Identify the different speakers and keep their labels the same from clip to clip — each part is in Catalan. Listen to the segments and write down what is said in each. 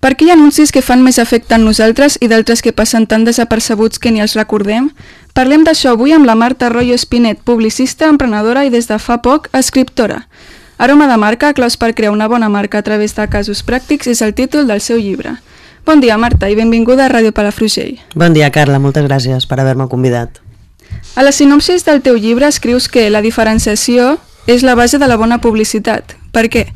Speaker 1: Per què hi ha anuncis que fan més efecte en nosaltres i d'altres que passen tan desapercebuts que ni els recordem? Parlem d'això avui amb la Marta Royo Espinet, publicista, emprenedora i des de fa poc, escriptora. Aroma de marca, claus per crear una bona marca a través de casos pràctics és el títol del seu llibre. Bon dia, Marta, i benvinguda a Ràdio Palafrugell.
Speaker 2: Bon dia, Carla, moltes gràcies per haver-me convidat.
Speaker 1: A la sinopsis del teu llibre escrius que la diferenciació és la base de la bona publicitat. Per què?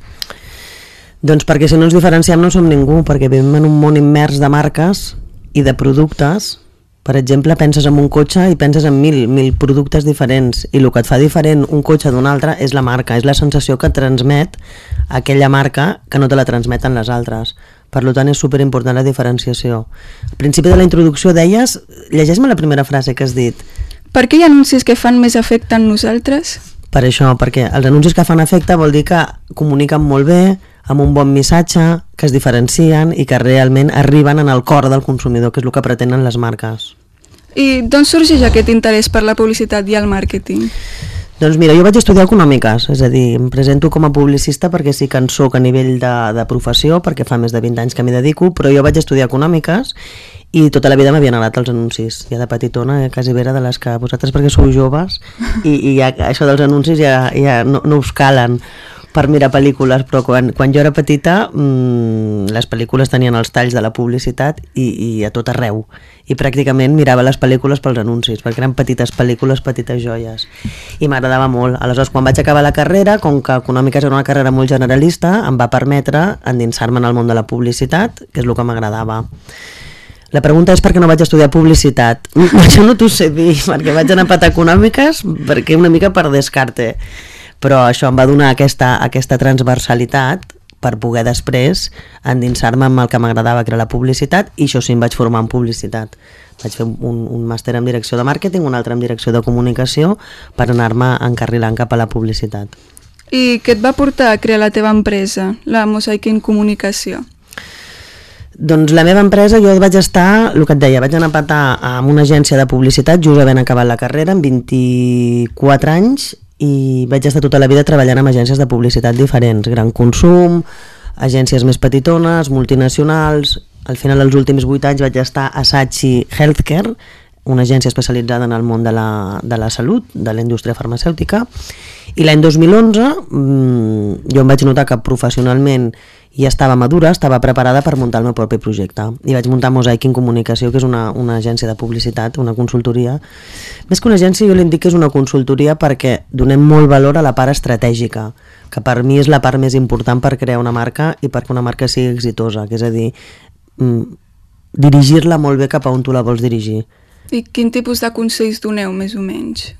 Speaker 2: Doncs perquè si no ens diferenciem no som ningú, perquè vivim en un món immers de marques i de productes. Per exemple, penses en un cotxe i penses en mil productes diferents, i el que et fa diferent un cotxe d'un altre és la marca, és la sensació que transmet aquella marca que no te la transmeten les altres. Per tant, és superimportant la diferenciació. Al principi de la introducció deies, llegeix-me la primera frase que has dit.
Speaker 1: Per què hi ha anuncis que fan més efecte en nosaltres?
Speaker 2: Per això, perquè els anuncis que fan efecte vol dir que comuniquen molt bé, amb un bon missatge, que es diferencien i que realment arriben en el cor del consumidor, que és el que pretenen les marques.
Speaker 1: I d'on sorgeix aquest interès per la publicitat i el màrqueting?
Speaker 2: Doncs mira, jo vaig estudiar econòmiques, és a dir, em presento com a publicista perquè sí que en soc a nivell de professió, perquè fa més de 20 anys que m'hi dedico, però jo vaig estudiar econòmiques i tota la vida m'havien agradat els anuncis. Ja de petitona, quasi vera de les que vosaltres perquè sou joves i ja, això dels anuncis ja no us calen per mirar pel·lícules, però quan jo era petita les pel·lícules tenien els talls de la publicitat i a tot arreu, i pràcticament mirava les pel·lícules pels anuncis, perquè eren petites pel·lícules, petites joies, i m'agradava molt. Aleshores, quan vaig acabar la carrera, com que econòmiques era una carrera molt generalista, em va permetre endinsar-me en el món de la publicitat, que és el que m'agradava. La pregunta és per què no vaig estudiar publicitat. Això no t'ho sé dir, perquè vaig anar a patar econòmiques, perquè una mica per descarte, però això em va donar aquesta transversalitat per poder després endinsar-me amb el que m'agradava, que era la publicitat, i això sí, em vaig formar en publicitat. Vaig fer un màster en direcció de màrqueting, un altre en direcció de comunicació, per anar-me encarrilant cap a la publicitat.
Speaker 1: I què et va portar a crear la teva empresa, la Mosaikin Comunicació?
Speaker 2: Doncs la meva empresa, jo vaig estar, el que et deia, vaig anar a patar amb una agència de publicitat just havent acabat la carrera, amb 24 anys, i vaig estar tota la vida treballant amb agències de publicitat diferents, gran consum, agències més petitones, multinacionals. Al final, els últims 8 anys vaig estar a Saatchi Healthcare, una agència especialitzada en el món de la salut, de la indústria farmacèutica, i l'any 2011 jo em vaig notar que professionalment ja estava madura, estava preparada per muntar el meu propi projecte, i vaig muntar Mosaikin Comunicació, que és una agència de publicitat, una consultoria. Més que una agència, jo li dic que és una consultoria perquè donem molt valor a la part estratègica, que per mi és la part més important per crear una marca i perquè una marca sigui exitosa, que és a dir, dirigir-la molt bé cap a on tu la vols dirigir.
Speaker 1: I quin tipus de consells doneu, més o menys?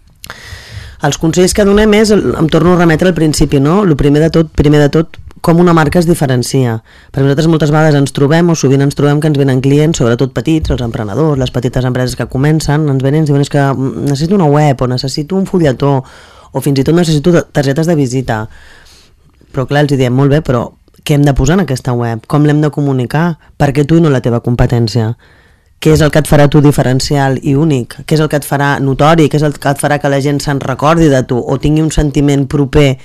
Speaker 2: Els consells que donem és, em torno a remetre al principi, no? El primer de tot, com una marca es diferencia. Perquè nosaltres moltes vegades ens trobem, o sovint ens trobem que ens venen clients, sobretot petits, els emprenedors, les petites empreses que comencen, ens venen i ens diuen que necessito una web, o necessito un fulletó, o fins i tot necessito targetes de visita. Però clar, els diem, molt bé, però què hem de posar en aquesta web? Com l'hem de comunicar? Per què tu i no la teva competència? Què és el que et farà tu diferencial i únic? Què és el que et farà notori? Què és el que et farà que la gent se'n recordi de tu o tingui un sentiment proper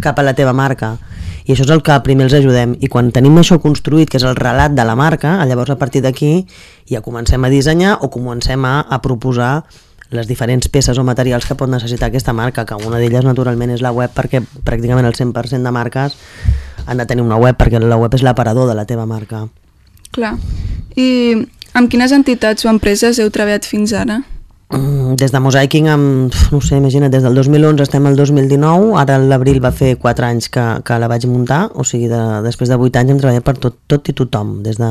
Speaker 2: cap a la teva marca? I això és el que primer els ajudem. I quan tenim això construït, que és el relat de la marca, llavors a partir d'aquí ja comencem a dissenyar o comencem a proposar les diferents peces o materials que pot necessitar aquesta marca, que una d'elles naturalment és la web, perquè pràcticament el 100% de marques han de tenir una web, perquè la web és l'aparador de la teva marca.
Speaker 1: Clar. I amb quines entitats o empreses heu treballat fins ara?
Speaker 2: Des de Mosaikin, no sé, imagina't, des del 2011 estem al 2019, ara l'abril va fer 4 anys que la vaig muntar, o sigui, després de 8 anys hem treballat per tot i tothom. El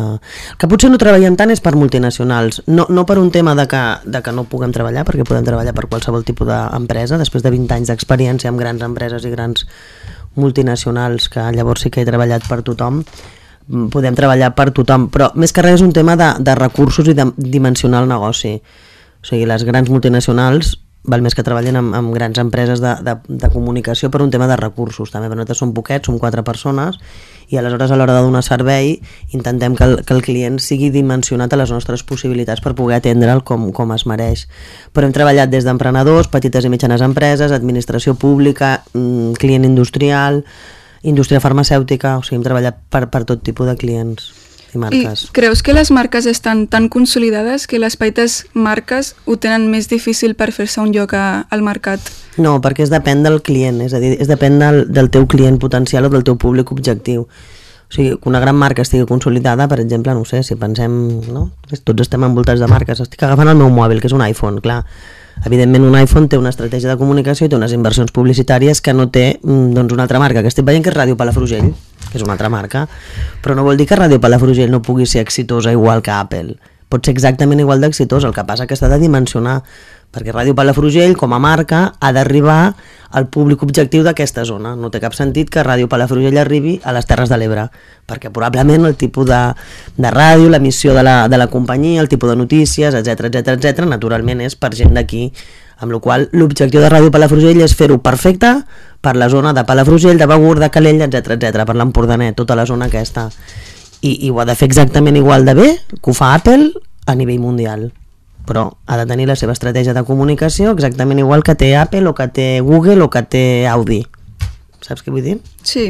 Speaker 2: que potser no treballem tant és per multinacionals, no per un tema de que no puguem treballar, perquè podem treballar per qualsevol tipus d'empresa, després de 20 anys d'experiència amb grans empreses i grans multinacionals, que llavors sí que he treballat per tothom, podem treballar per tothom, però més que res és un tema de recursos i de dimensionar el negoci. O sigui, les grans multinacionals val més que treballen amb grans empreses de comunicació per un tema de recursos. També nosaltres som poquets, som 4 persones, i aleshores a l'hora de donar servei intentem que el client sigui dimensionat a les nostres possibilitats per poder atendre'l com es mereix. Però hem treballat des d'emprenedors, petites i mitjanes empreses, administració pública, client industrial, indústria farmacèutica, o sigui, hem treballat per tot tipus de clients. i marques.
Speaker 1: I creus que les marques estan tan consolidades que les petites marques ho tenen més difícil per fer-se un lloc al mercat?
Speaker 2: No, perquè es depèn del client, és a dir, es depèn del teu client potencial o del teu públic objectiu. O sigui, que una gran marca estigui consolidada, per exemple, no sé, si pensem, no? Tots estem envoltats de marques, estic agafant el meu mòbil, que és un iPhone, clar. Evidentment un iPhone té una estratègia de comunicació i té unes inversions publicitàries que no té doncs, una altra marca, que estic veient que és Ràdio Palafrugell, que és una altra marca, però no vol dir que Ràdio Palafrugell no pugui ser exitosa igual que Apple. Pot ser exactament igual d'exitosa, el que passa que s'ha de dimensionar, perquè Ràdio Palafrugell, com a marca, ha d'arribar al públic objectiu d'aquesta zona. No té cap sentit que Ràdio Palafrugell arribi a les Terres de l'Ebre, perquè probablement el tipus de ràdio, l'emissió de la companyia, el tipus de notícies, etc, naturalment és per gent d'aquí, amb la qual l'objectiu de Ràdio Palafrugell és fer-ho perfecte per la zona de Palafrugell, de Begur, de Calella, etc, per l'Empordanet, tota la zona aquesta. I ho ha de fer exactament igual de bé que ho fa Apple a nivell mundial, però ha de tenir la seva estratègia de comunicació exactament igual que té Apple o que té Google o que té Audi. Saps què vull dir?
Speaker 1: Sí.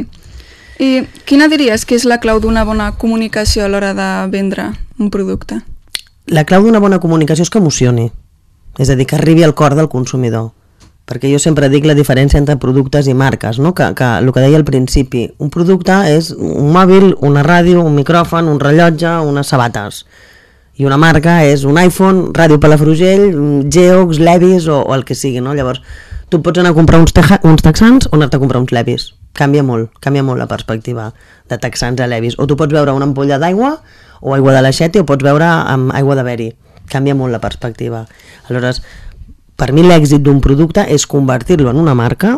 Speaker 1: I quina diries que és la clau d'una bona comunicació a l'hora de vendre un producte?
Speaker 2: La clau d'una bona comunicació és que emocioni, és a dir, que arribi al cor del consumidor, perquè jo sempre dic la diferència entre productes i marques, no? que el que deia al principi, un producte és un mòbil, una ràdio, un micròfon, un rellotge, unes sabates, i una marca és un iPhone, Ràdio Palafrugell, Geox, Levi's o el que sigui, no? Llavors, tu pots anar a comprar uns texans o anar-te a comprar uns Levi's. Canvia molt la perspectiva de texans a Levi's. O tu pots veure una ampolla d'aigua o aigua de l'aixeta o pots veure amb aigua de beri. Canvia molt la perspectiva. Aleshores, per mi l'èxit d'un producte és convertir-lo en una marca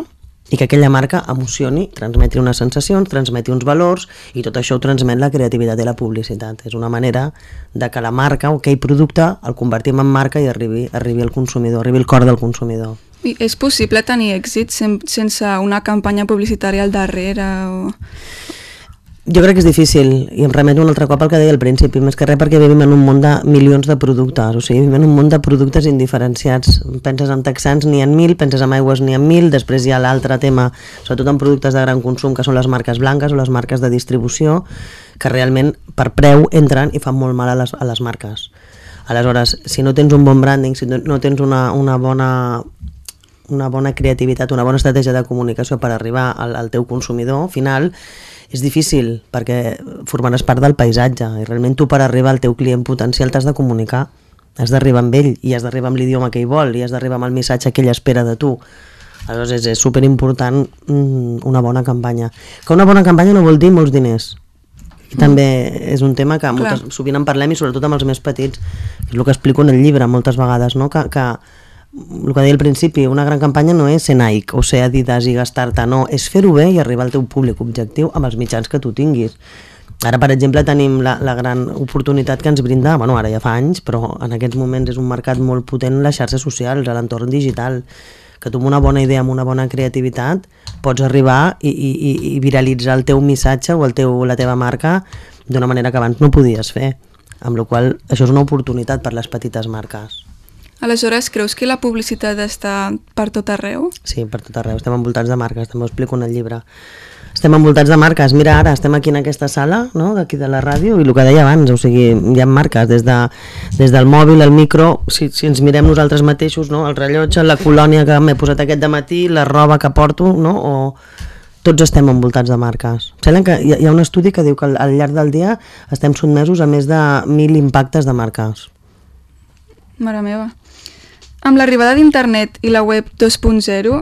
Speaker 2: i que aquella marca emocioni, transmeti unes sensacions, transmeti uns valors, i tot això ho transmet la creativitat i la publicitat. És una manera de que la marca o aquell producte el convertim en marca i arribi al consumidor, arribi al cor del consumidor.
Speaker 1: I és possible tenir èxit sense una campanya publicitària al darrere?
Speaker 2: Jo crec que és difícil, i em remeto un altre cop al que deia al principi, més que res perquè vivim en un món de milions de productes, o sigui, vivim en un món de productes indiferenciats. Penses en texans, n'hi ha 1.000, penses en aigües, n'hi ha 1.000, després hi ha l'altre tema, sobretot en productes de gran consum, que són les marques blanques o les marques de distribució, que realment per preu entren i fan molt mal a les marques. Aleshores, si no tens un bon branding, si no tens una bona creativitat, una bona estratègia de comunicació per arribar al teu consumidor final, és difícil, perquè formaràs part del paisatge i realment tu per arribar al teu client potencial t'has de comunicar, has d'arribar amb ell i has d'arribar amb l'idioma que ell vol i has d'arribar amb el missatge que ell espera de tu. Aleshores és superimportant una bona campanya. Que una bona campanya no vol dir molts diners. I també és un tema que sovint en parlem, i sobretot amb els més petits, és el que explico en el llibre moltes vegades, no? Que el que deia al principi, una gran campanya no és ser Nike o ser Adidas i gastar-te, no, és fer-ho bé i arribar al teu públic objectiu amb els mitjans que tu tinguis. Ara, per exemple, tenim la gran oportunitat que ens brinda, bueno, ara ja fa anys, però en aquests moments és un mercat molt potent, les xarxes socials, a l'entorn digital, que tu amb una bona idea, amb una bona creativitat, pots arribar i viralitzar el teu missatge o la teva marca d'una manera que abans no podies fer, amb la qual cosa això és una oportunitat per les petites marques.
Speaker 1: Aleshores, creus que la publicitat està per tot arreu?
Speaker 2: Sí, per tot arreu. Estem envoltats de marques, també ho explico en el llibre. Estem envoltats de marques. Mira, ara estem aquí en aquesta sala, no?, d'aquí de la ràdio, i el que deia abans, o sigui, hi ha marques des del mòbil, el micro, si ens mirem nosaltres mateixos, no?, el rellotge, la colònia que m'he posat aquest dematí, la roba que porto, no?, o tots estem envoltats de marques. Sembla que hi ha un estudi que diu que al llarg del dia estem sotmesos a més de 1.000 impactes de marques.
Speaker 1: Mare meva. Amb l'arribada d'internet i la web 2.0,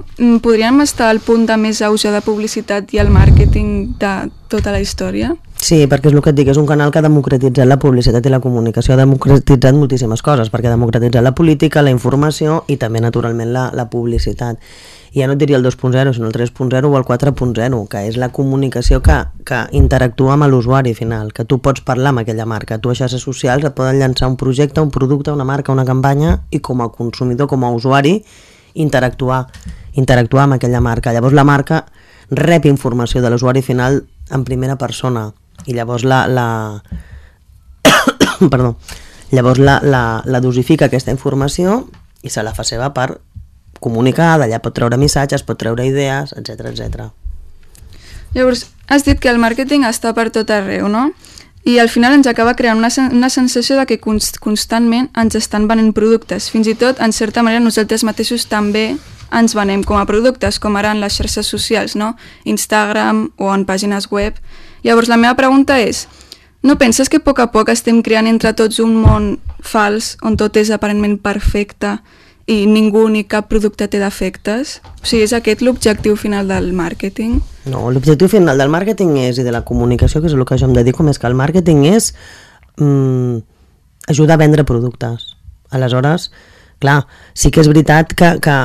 Speaker 1: podríem estar al punt de més auge de publicitat i el màrqueting de tota la història?
Speaker 2: Sí, perquè és el que et dic, és un canal que ha democratitzat la publicitat i la comunicació, ha democratitzat moltíssimes coses, perquè ha democratitzat la política, la informació i també, naturalment, la publicitat. I ja no et diria el 2.0, sinó el 3.0 o el 4.0, que és la comunicació que interactua amb l'usuari final, que tu pots parlar amb aquella marca. Tu a xarxes socials et poden llançar un projecte, un producte, una marca, una campanya, i com a consumidor, com a usuari, interactuar amb aquella marca. Llavors la marca rep informació de l'usuari final en primera persona, i llavors llavors la dosifica aquesta informació i se la fa seva per comunicar, d'allà pot treure missatges, pot treure idees, etc.
Speaker 1: Llavors, has dit que el màrqueting està per tot arreu, no? i al final ens acaba creant una sensació de que constantment ens estan venent productes. Fins i tot, en certa manera, nosaltres mateixos també ens venem com a productes, com ara en les xarxes socials, no? Instagram o en pàgines web. Llavors, la meva pregunta és, no penses que a poc estem creant entre tots un món fals on tot és aparentment perfecte i ningú ni cap producte té defectes? O sigui, és aquest l'objectiu final del màrqueting?
Speaker 2: No, l'objectiu final del màrqueting és, i de la comunicació, que és el que jo em dedico més que el màrqueting, és ajudar a vendre productes. Aleshores, clar, sí que és veritat que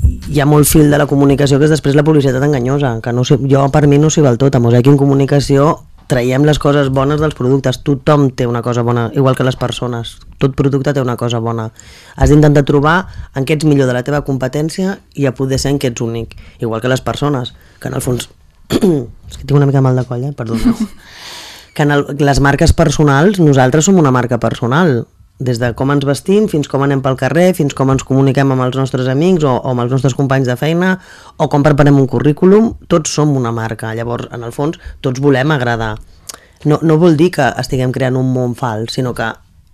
Speaker 2: hi ha molt fil de la comunicació que és després la publicitat enganyosa, que no sé, jo per mi no s'hi val tot. A Mosaic en comunicació traiem les coses bones dels productes. Tothom té una cosa bona, igual que les persones. Tot producte té una cosa bona. Has d'intentar trobar en què ets millor de la teva competència i a poder ser en què ets únic. Igual que les persones, que en el fons... és que tinc una mica mal de coll, perdoneu. Que en les marques personals, nosaltres som una marca personal. Des de com ens vestim, fins com anem pel carrer, fins com ens comuniquem amb els nostres amics o amb els nostres companys de feina, o com preparem un currículum, tots som una marca. Llavors, en el fons, tots volem agradar. No vol dir que estiguem creant un món fals, sinó que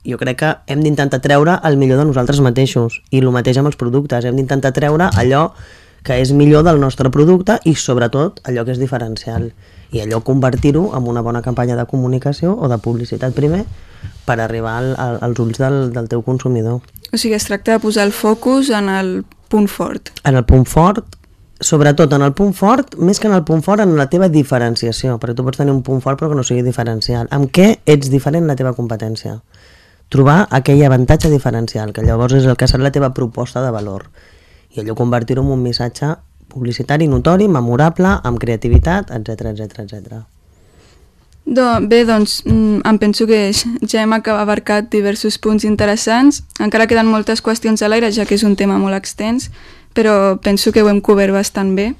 Speaker 2: jo crec que hem d'intentar treure el millor de nosaltres mateixos, i el mateix amb els productes. Hem d'intentar treure allò que és millor del nostre producte i, sobretot, allò que és diferencial. I allò convertir-ho en una bona campanya de comunicació o de publicitat primer per arribar als ulls del teu consumidor.
Speaker 1: O sigui, es tracta de posar el focus en el punt fort.
Speaker 2: En el punt fort, sobretot en el punt fort, més que en el punt fort, en la teva diferenciació, perquè tu pots tenir un punt fort però que no sigui diferencial. Amb què ets diferent en la teva competència? Trobar aquell avantatge diferencial, que llavors és el que serà la teva proposta de valor. I allò convertir-ho en un missatge publicitari notori, memorable, amb creativitat, etc.
Speaker 1: Bé, doncs, em penso que ja hem abarcat diversos punts interessants. Encara queden moltes qüestions a l'aire, ja que és un tema molt extens, però penso que ho hem cobert bastant bé.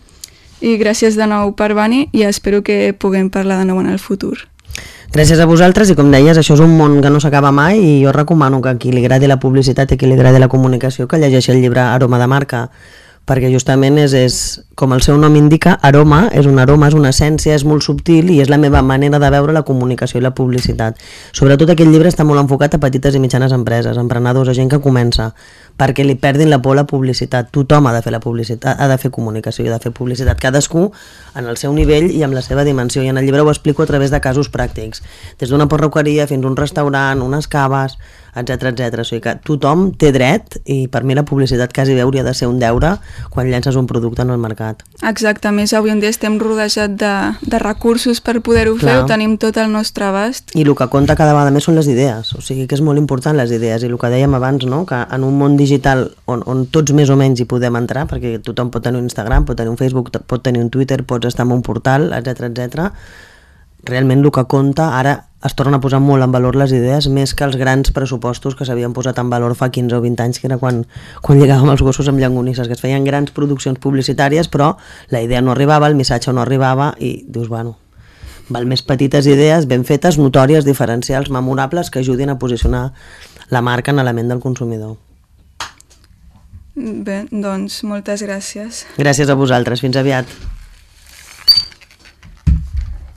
Speaker 1: I gràcies de nou per venir i espero que puguem parlar de nou en el futur.
Speaker 2: Gràcies a vosaltres, i com deies, això és un món que no s'acaba mai, i jo recomano que a qui li agradi la publicitat i a qui li agradi la comunicació que llegeixi el llibre Aroma de marca, perquè justament és com el seu nom indica, aroma, és un aroma, és una essència, és molt subtil i és la meva manera de veure la comunicació i la publicitat. Sobretot aquest llibre està molt enfocat a petites i mitjanes empreses, emprenedors, a gent que comença, perquè li perdin la por a la publicitat. Tothom ha de fer la publicitat, ha de fer comunicació i ha de fer publicitat, cadascú en el seu nivell i amb la seva dimensió, i en el llibre ho explico a través de casos pràctics, des d'una perruqueria fins a un restaurant, unes caves, etc. O sigui que tothom té dret, i per mi la publicitat quasi bé hauria de ser un deure quan llences un producte en el mercat.
Speaker 1: Exacte, més avui en dia estem rodejats de recursos per poder-ho fer, ho tenim tot al nostre abast.
Speaker 2: I el que compta cada vegada més són les idees, o sigui que és molt important les idees, i el que dèiem abans, no? Que en un món digital on tots més o menys hi podem entrar, perquè tothom pot tenir un Instagram, pot tenir un Facebook, pot tenir un Twitter, pots estar en un portal, etc. Realment el que compta ara es torna a posar molt en valor les idees, més que els grans pressupostos que s'havien posat en valor fa 15 o 20 anys, que era quan lligàvem els gossos amb llonganisses, que es feien grans produccions publicitàries, però la idea no arribava, el missatge no arribava, i dius, bueno, val més petites idees ben fetes, notòries, diferencials, memorables, que ajudin a posicionar la marca en la ment del consumidor.
Speaker 1: Bé, doncs moltes gràcies.
Speaker 2: Gràcies a vosaltres, fins aviat.